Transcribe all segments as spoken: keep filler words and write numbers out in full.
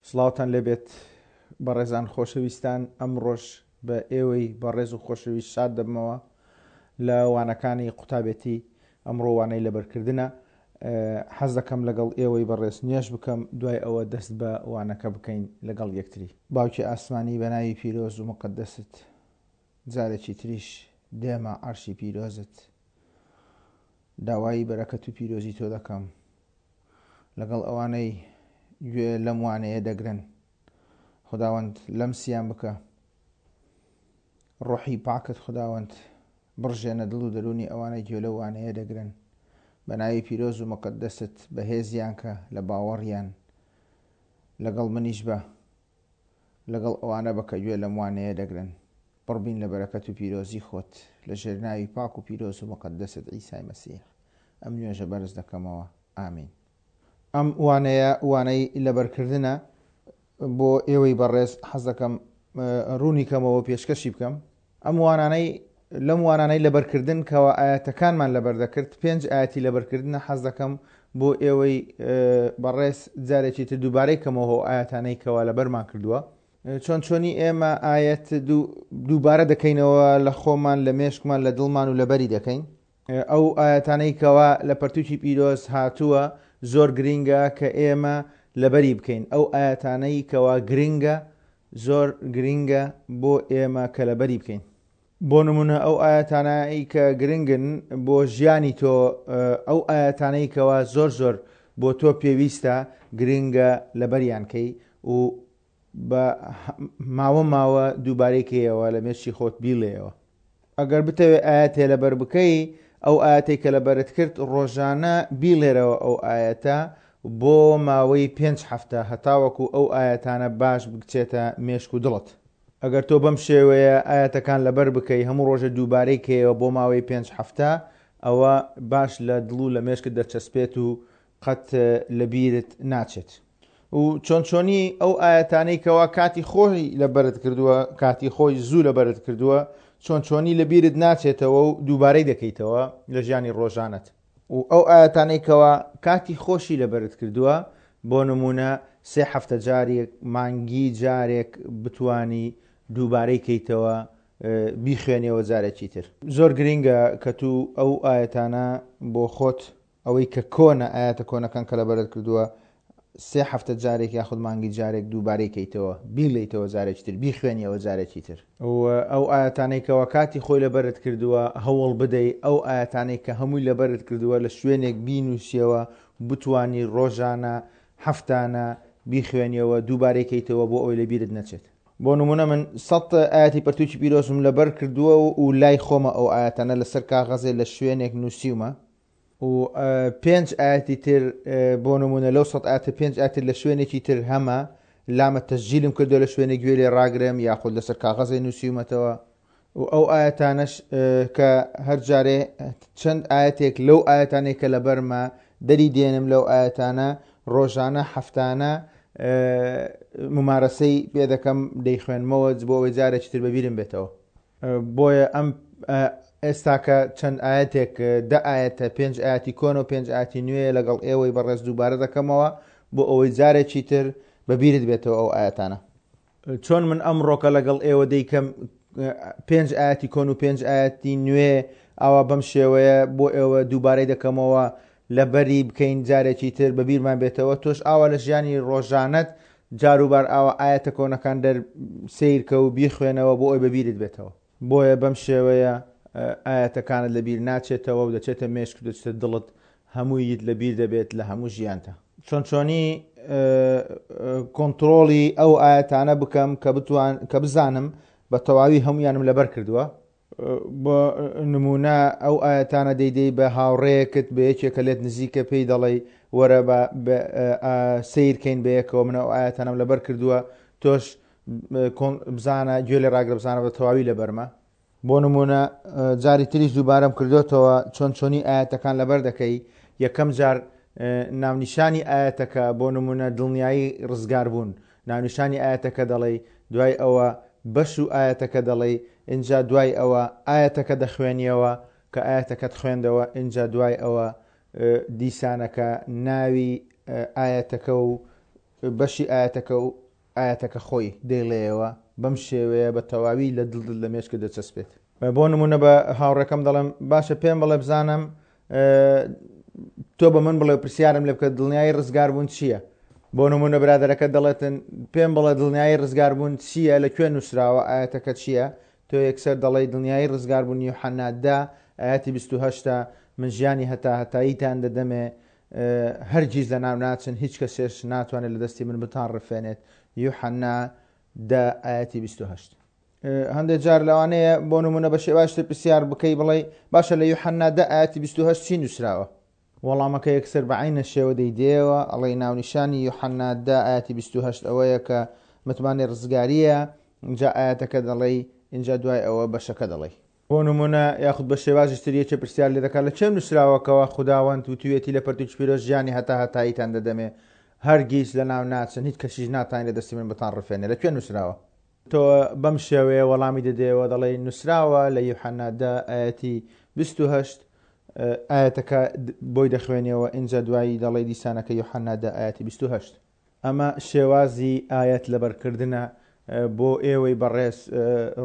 سڵاوتان لێبێت بەڕێزان خۆشەویستان، ئەمڕۆش بە ئێوەی بەڕێز و خۆشەویست شاد دەبمەوە لە وانەکانی قوتابێتی. ئەمڕۆ وانەی لەبەرکردنە. حەز دەکەم لەگەڵ ئێوەی بەڕێز نوێژ بکەم، دوای ئەوە دەست بە وانەکە بکەین لەگەڵ یەکتری. باوکی ئاسمانی، بە ناوی پیرۆز و مقەدەست جارێکی تریش دێمە عەرشی پیرۆزت، داوای بەرەکەت و پیرۆزی تۆ دەکەم لەگەڵ ئەوانەی گوێ لەم وانەیە دەگرن. خداوەند لەمسیان بکە، ڕۆحی پاکت خداوەند بڕژێنە دڵ و دەروونی ئەوانەی گوێ لەو وانەیە دەگرن. بە ناوی پیرۆز و مقەدەست بەهێزیان کە لە باوەڕیان، لەگەڵ منیش بە، لەگەڵ ئەوانە بە کە گوێ لەم وانەیە دەگرن. پڕبین لە بەرەکەت و پیرۆزی خۆت لە ژێر ناوی پاک و پیرۆز و مقەدەست عیسای مەسیح ئەم نوێژە بەرز دەکەمەوە، ئامین. ئەم وانەیە وانەی لەبەرکردنە بۆ ئێوەی بەڕێز، حەز دەکەم ڕوونی کەمەوە پێشکەشی بکەم. ئەم وانانەی لەم وانانەی لەبەرکردن کەوا ئاەتەکانمان لەبەر دەکرد، پێنج ئاەتی لەبەرکردنە. حەز دەکەم بۆ ئێوەی بەڕێز جارێکی تر دووبارەی کەمەوە ئاەتانەی کەوا لەبەرمان کردووە. چۆن چۆنی ئێمە ئاەت دووبارە دەکەینەوە لە خۆمان، لە مێشکمان، لە دڵمان و لەبەری دەکەین. ئەو ئاەتانەی کەوا لە پەرتوکی پیرۆز هاتووە زۆر گرینگە کە ئێمە لەبەری بکەین. ئەو ئاەتانەی کەوا گرینگە زۆر گرینگە بۆ ئێمە کە لەبەری بکەین. بۆ نمونە ئەو ئاەتانەی کە گرنگن بۆ ژیانی تۆ، ئەو ئاەتانەی کەوا زۆر زۆر بۆ تۆ پێویستە گرنگە لەبەریان کەی و بە ماوە ماوە دووبارەی کەیەوە لە مێشکی خۆت بیڵێەوە. ئەگەر بتەوێت ئاەتێ لەبەر بکەی، ئەو ئاەتێک کە لەبەرت کرد ڕۆژانە بیڵێرەوە ئەو ئاەتە بۆ ماوەی پێنج هەفتە هەتاوەکو ئەو ئاەتانە باش بچێتە مێشک و دڵت. ئەگەر تۆ بەم شێوەیە ئاەتەکان لەبەر بکەی، هەموو ڕۆژە دووبارەی کەیەوە بۆ ماوەی پێنج هەفتە، ئەوە باش لە دڵ و لە مێشکت دەچەسپێت و قەت لەبیرت ناچێت. و چۆن چۆنی ئەو ئاەتانەی کەوا کاتی خۆی لەبەرت کردووە، کاتی خۆی زوو لەبەرت کردووە، چۆن چۆنی لەبیرت ناچێتەوە و دووبارەی دەکەیتەوە لە ژیانی ڕۆژانت. و ئەو ئاەتانەی کەوا کاتی خۆشی لەبەرت کردووە، بۆ نمونە سێ هەفتە جارێک، مانگی جارێک بتانی دووبارەی کەیتەوە، بیخوێنیەوە جارێکی تر. زۆر گرینگە کە تو ئەو ئاەتانە بۆ خۆت، ئەوەی کە کۆنە، ئاەتە کۆنەکان کە لەبەرت کردووە، سێ هەفتە جارێک یاخود مانگی جارێک دووبارەی کەیتەوە، بیڵێیتەوە جارێکی تر، بیخوێنیەوە جارێکی تر. و ئەو ئاەتانەی کەوا کاتی خۆی لەبەرت کردووە هەوڵ بدەی ئەو ئاەتانەی کە هەمووی لەبەرت کردووە لە شوێنێک بینووسیەوە، بتانی ڕۆژانە هەفتانە بیخوێنیەوە دووبارەی کەیتەوە بۆ ئەوەی لەبیرت نەچێت. بۆ نمونە من سەد ئاەتی پەرتوکی پیرۆزم لەبەر کردووە و لای خۆمە ئەو ئاەتانە لەسەر کاغەزێ لە شوێنێک نووسیومە. و پێنج ئاەتی تر، بۆ نمونە لەو سەد ئاەتە پێنج ئاەتر لە شوێنێکی تر هەمە لامە تەسجیلم کردو لە شوێنێک گوێ لێ ڕاگرم یاخود لەسەر کاغەزێ نووسیومەتەوە. و ئەو ئاەتانەش کە هەر جارێ چەند ئاەتێک لەو ئاەتانێک کە لەبەرمە دەری دێنم، لەو ئاەتانە ڕۆژانە هەفتانە ممارەسەی پێ دەکەم، دەیخوێنمەوە بۆ ئەوەی جارێکی تر بەبیرم بێتەوە. بۆیە ئەم ئێستاکە چەند ئاەتێک، دە ئاەتە، پێنج ئاەتی کۆن و پێنج ئاەتی نوێ لەگەڵ ئێوەی بەڕێز دووبارە دەکەمەوە بۆ ئەوەی جارێکی تر بەبیرت بێتەوە ئەو ئاەتانە. چۆن من ئەمڕۆکە لەگەڵ ئێوە دەیکەم پێنج ئاەتی کۆن و پێنج ئاەتی نوێ، ئاوا بەم شێوەیە بۆ ئێوە دووبارەی دەکەمەوە لەبەری بکەین جارێکی تر بەبیرمان بێتەوە. تۆش ئاوا لە ژیانی ڕۆژانەت جاروبار ئاوا ئاەتە کۆنەکان دەر سیرکە و بیخوێنەوە بۆ ئەوی بەبیرت بێتەوە. بۆیە بەم شێوەیە ئاەتەکانت لەبیر ناچێتەوە و دەچێتە مێشک و دەچێتە دڵت، هەموویت لەبیر دەبێت لە هەموو ژیانتە. چۆن چۆنی کۆنتترۆڵی ئەو ئاەتانە بکەم کە بتوان کە بزانم بە تەواوی هەمویانم لەبەر کردووە؟ بۆ نمونە ئەو ئاەتانە دەیدەی بە هاوڕێیەکت، بە یەکێکە لێت نزیکە، پێی دەڵێی وەرە بە سیرکەین بەیەکەوە، من ئەو ئاەتانم لەبەر کردووە، تۆش بزانە گوێ لێ ڕاگرە بزانە بە تەواوی لەبەرمە. بۆ نمونە جاری تریش دووبارەم کردوتەوە چۆن چۆنی ئاەتەکان لەبەر دەکەی. یەکەم جار ناونیشانی ئاەتەکە، بۆ نمونە دڵنیایی ڕزگار بوون، ناونیشانی ئاەتەکە دەڵێی، دوای ئەوە بەش و ئاەتەکە دەڵێی، اینجا دوای ئەوە ئاەتەکە دەخوێنیەوە. کە ئاەتەکەت خوێندەوە، اینجا دوای ئەوە دیسانەکە ناوی ئاەتەکە و بەشی ئایەتەکە و ئایەتەکە خۆی دەیڵێیەوە، بەم شێوەیە بە تەواوی لە دڵت لە مێشکت دەچەسپێت. بۆ نمونە بە هاوڕێکەم دەڵێم باشە پێم بڵێ بزانم تۆ بە من بڵێ و پرسیارم لێ بکە دڵنیایی ڕزگاربوون چییە؟ بۆ نمونە برادەرەکە دەڵێتن پێم بڵێ دڵنیایی ڕزگاربوون چییە، لە کوێ نووسراوە، ئایەتەکە چییە؟ تۆ یەکسەر دەڵێی دڵنیایی ڕزگاربوون یوحەنا دە ئایەتی بیست و هەشت من ژیانی هەتا هەتاییتان دەدەمێ، هەرگیز لەناو ناچن، هیچ کەسێش ناتوانێت لە دەستی من بتان ڕفێنێت. یوحەنا دە ئایەتی بیست و هەشت. هەندێک جار لەوانەیە بۆ نمونە بە شێوازتر پرسیار بکەی بڵێ باشە لە یوحەنا دە ئایەتی بیست و هەشت چی نووسراوە؟ وەڵامەکە یەکسەر بە عینە شێوە دەیدەیەوە، ئەڵێی ناونیشانی یوحەنا دە ئایەتی بیست و هەشت ئەوەیە کە متمانەی ڕزگاریە، اینجا ئایەتەکە دەڵێی، اینجا دوای ئەوە بەشەکە دەڵێی. بۆ نمونە یاخود بە شێوازی تر یەکێ پرسیار لێ دەکات لە چێ نووسراوەکەوە خوداوەند وتوویەتی لە پەرتوکی پیرۆز ژیانی هەتا هەتاییتان دەدەمێ، هەرگیز لە ناو ناچن، هیچ کەسیش ناتوانێت لە دەستی من بتان ڕفێنێ، لە کوێ نووسراوە؟ تۆ بەم شێوەیە وەڵامی دەدەیەوە، دەڵێی نووسراوە لە یوحەنا دە ئایەتی بیست و هەشت، ئایەتەکە بۆی دەخوێنیەوە، ئینجا دوایی دەڵێی دیسانەکە یوحەنا دە ئایەتی بیست و هەشت. ئەمە شێوازی ئایەت لەبەرکردنە بۆ ئێوەی بەڕێز،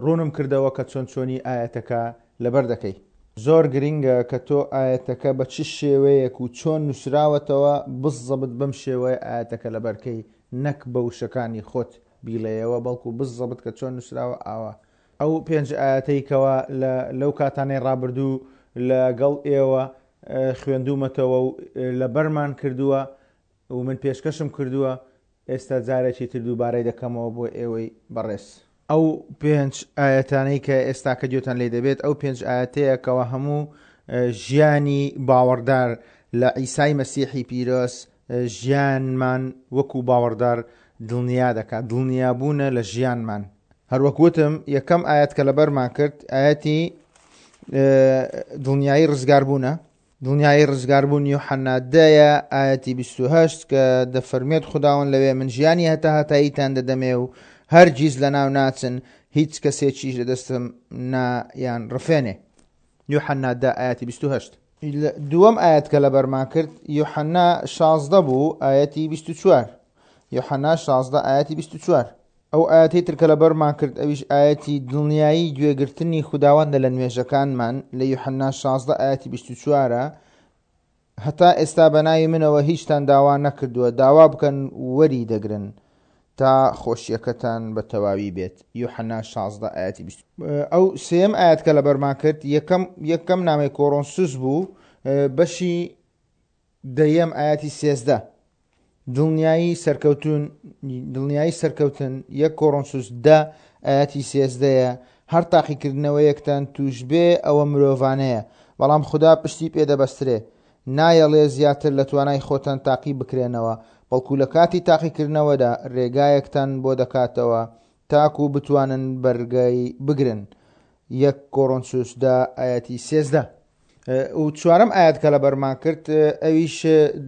ڕوونم کردەوە کە چۆن چۆنی ئایەتەکە لەبەر دەکەی. زۆر گرنگە کە تۆ ئایەتەکە بە چ شێوەیەک و چۆن نووسراوەتەوە بزەبت بەم شێوەیە ئایەتەکە لەبەرکەی، نەک بە وشەکانی خۆت بیڵێیەوە، بەڵکو بزەبت کە چۆن نووسراوە ئاوا. ئەو پێنج ئایەتەی کەوا لەو کاتانەی ڕابردوو لەگەڵ ئێوە خوێندوومەتەوە و لەبەرمان کردووە و من پێشکەشم کردووە، ئێستا جارێکی تر دووبارەی دەکەمەوە بۆ ئێوەی بەڕێز. ئەو پێنج ئایەتانەی کە ئێستا کە گوێتان لێ دەبێت، ئەو پێنج ئایەتەیە کەوا هەموو ژیانی باوەڕدار لە عیسای مەسیحی پیرۆز ژیانمان وەکو باوەڕدار دڵنیا دەکات، دڵنیابوونە لە ژیانمان. هەروەک وتم یەکەم ئایەت کە لەبەرمان کرد ئایەتی دڵنیایی ڕزگاربوونە، دڵنیایی ڕزگاربوون یوحەنا دەیە ئایەتی بیست و هەشت کە دەفەرمێت خوداوەند لەوێ من ژیانی هەتا هەتاییتان دەدەمێ و هەرگیز لەناو ناچن، هیچ کەسێکیش لە دەستم نایان ڕفێنێ. یوحەنا دە ئایەتی بیست و هەشت. دووەم ئایەت کە لەبەرمان کرد یوحەنا شازدە بوو ئایەتی بیست و چوار. یوحەنا شازدە ئایەتی بیست و چوار. ئەو ئایەتەی تر کە لەبەرمان کرد ئەویش ئایەتی دڵنیایی گوێگرتنی خوداوەندە لە نوێژەکانمان لە یوحەنا شازدە ئایەتی بیست و چوارە، هەتا ئێستا بە ناوی منەوە هیچتان داوا نەکردووە، داوا بکەن وەری دەگرن تا خۆشیەکەتان بە تەواوی بێت. یوحەنا شازدە ئایەتی بیست. ئەو سێم ئایەت کە لەبەرمان کرد یەکەم، یەکەم نامەی کۆرۆنسوس بوو، بەشی دەیەم ئایەتی سێزدە. دڵنیایی سەرکەوتون، دڵنیایی سەرکەوتن یەک کۆرۆنسوس دە ئایەتی سێزدەیە، هەر تاقیکردنەوەیەکتان توش بێ ئەوە مرۆڤانەیە، بەڵام خودا پشتی پێدەبەسترێ، نایەڵێ زیاتر لە توانای خۆتان تاقی بکرێنەوە، بەڵکو لە کاتی تاقیکردنەوەدا ڕێگایەکتان بۆ دەکاتەوە تاکو بتوانن بەرگەی بگرن. یەک کۆرۆنسوس دە ئایەتی سێزدە. و چوارەم ئایەت کە لەبەرمان کرد ئەویش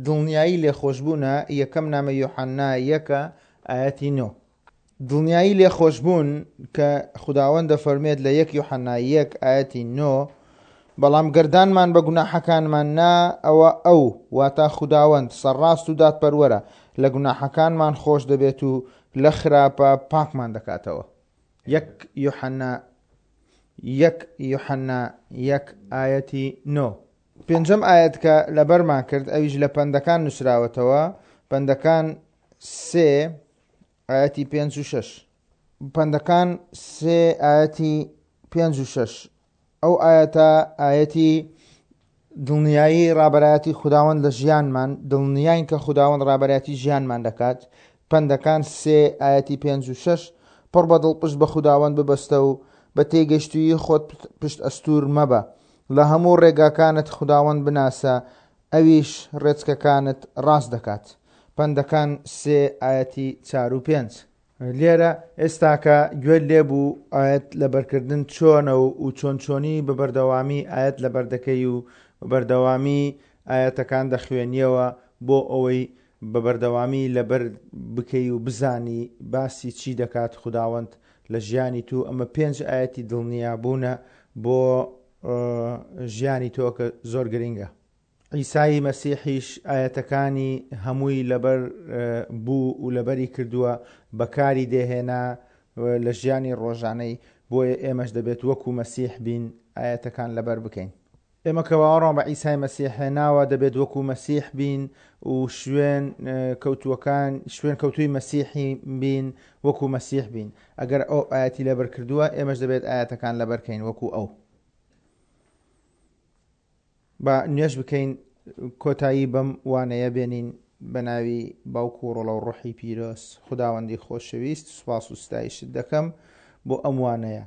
دڵنیایی لێخۆشبوونە، یەکەم نامە یۆحەنا یەکە ئایەتی نۆ. دڵنیایی لێخۆشبوون کە خوداوەند دەفەرمێت لە یەک یۆحەنا یەک ئایەتی نۆ، بەڵام گەردانمان بە گوناحەکانمان نا، ئەوە ئەو واتا خوداوەند سەرڕاست و دادپەروەرە، لە گوناحەکانمان خۆش دەبێت و لە خراپە پاکمان دەکاتەوە. یەک یۆحەنا یەک یۆحەنا یەک ئایەتی نۆ. پێنجەم ئایەت کە لەبەرمان کرد ئەویش لە پەندەکان نووسراوەتەوە، پەندەکان سێ ئایەتی پێنج و شەش. پەندەکان سێ ئایەتی پێنج و شەش. ئەو ئایەتە ئایەتی دڵنیایی ڕابەرایەتی خوداوەند لە ژیانمان، دڵنیاین کە خوداوەند ڕابەرایەتی ژیانمان دەکات. پەندەکان سێ ئایەتی پێنج و شەش، پڕ بە دڵ پشت بە خوداوەند ببەستە و بە تێگەشتوویی خۆت پشت ئەستوور مەبە، لە هەموو ڕێگاکانت خوداوەند بناسە، ئەویش ڕێچکەکانت ڕاست دەکات. پەندەکان سێ ئایەتی چار و پێنج. لێرە ئێستاکە گوێت لێبوو ئایەت لەبەرکردن چۆنە و چۆن چۆنی بە بەردەوامی ئایەت لەبەر دەکەی و بە بەردەوامی ئایەتەکان دەخوێنیەوە بۆ ئەوەی بە بەردەوامی لەبەر بکەی و بزانی باسی چی دەکات خوداوەند لە ژیانی تو. ئەمە پێنج ئایەتی دڵنیابوونە بۆ ژیانی تۆ کە زۆر گرنگە. عیسای مەسیحیش ئایەتەکانی هەمووی لەبەر بوو و لەبەری کردووە، بەکاری دێهێنا لە ژیانی ڕۆژانەی، بۆیە ئێمەش دەبێت وەکو مەسیح بین ئایەتەکان لەبەر بکەین. ئێمە کە باوەڕمان بە عیسای مەسیح هێناوە دەبێت وەکو مەسیح بین و شوێن کەوتووەکان شوێن کەوتووی مەسیحی بین وەکو مەسیح بین. ئەگەر ئەو ئایەتی لەبەر کردووە ئێمەش دەبێت ئایەتەکان لەبەر کەین وەکو ئەو. با نوێژ بکەین کۆتایی بەم وانەیە بێنین بە ناوی باوک و ڕۆڵە و ڕۆحی پیرۆز. خوداوەندی خۆشەویست سوپاس و ستایشت دەکەم بۆ ئەم وانەیە،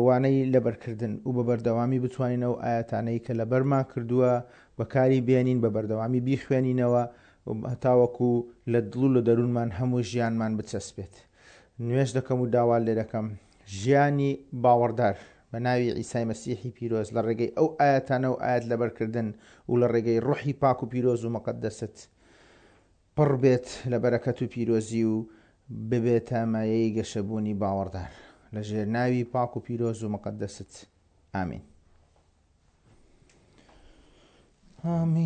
وانەی لەبەرکردن و بە بەردەوامی بتوانین ئەو ئایەتانەی کە لەبەرمان کردووە بەکاری بێنین، بە بەردەوامی بیخوێنینەوە هەتاوەکو لە دڵ و لە دەروونمان هەموو ژیانمان بچەسپێت. نوێژ دەکەم و داوا لێ دەکەم ژیانی باوەڕدار بە ناوی عیسای مەسیحی پیرۆز لە ڕێگەی ئەو ئایەتانە و ئایەت لەبەرکردن و لە ڕێگەی ڕۆحی پاک و پیرۆز و مەقەدەست پڕ بێت لە بەرەکەت و پیرۆزی و ببێتە مایەی گەشەبوونی باوەڕدار لە ژێر ناوی پاک و پیرۆز و مەقەدەست. ئامین. ئامین.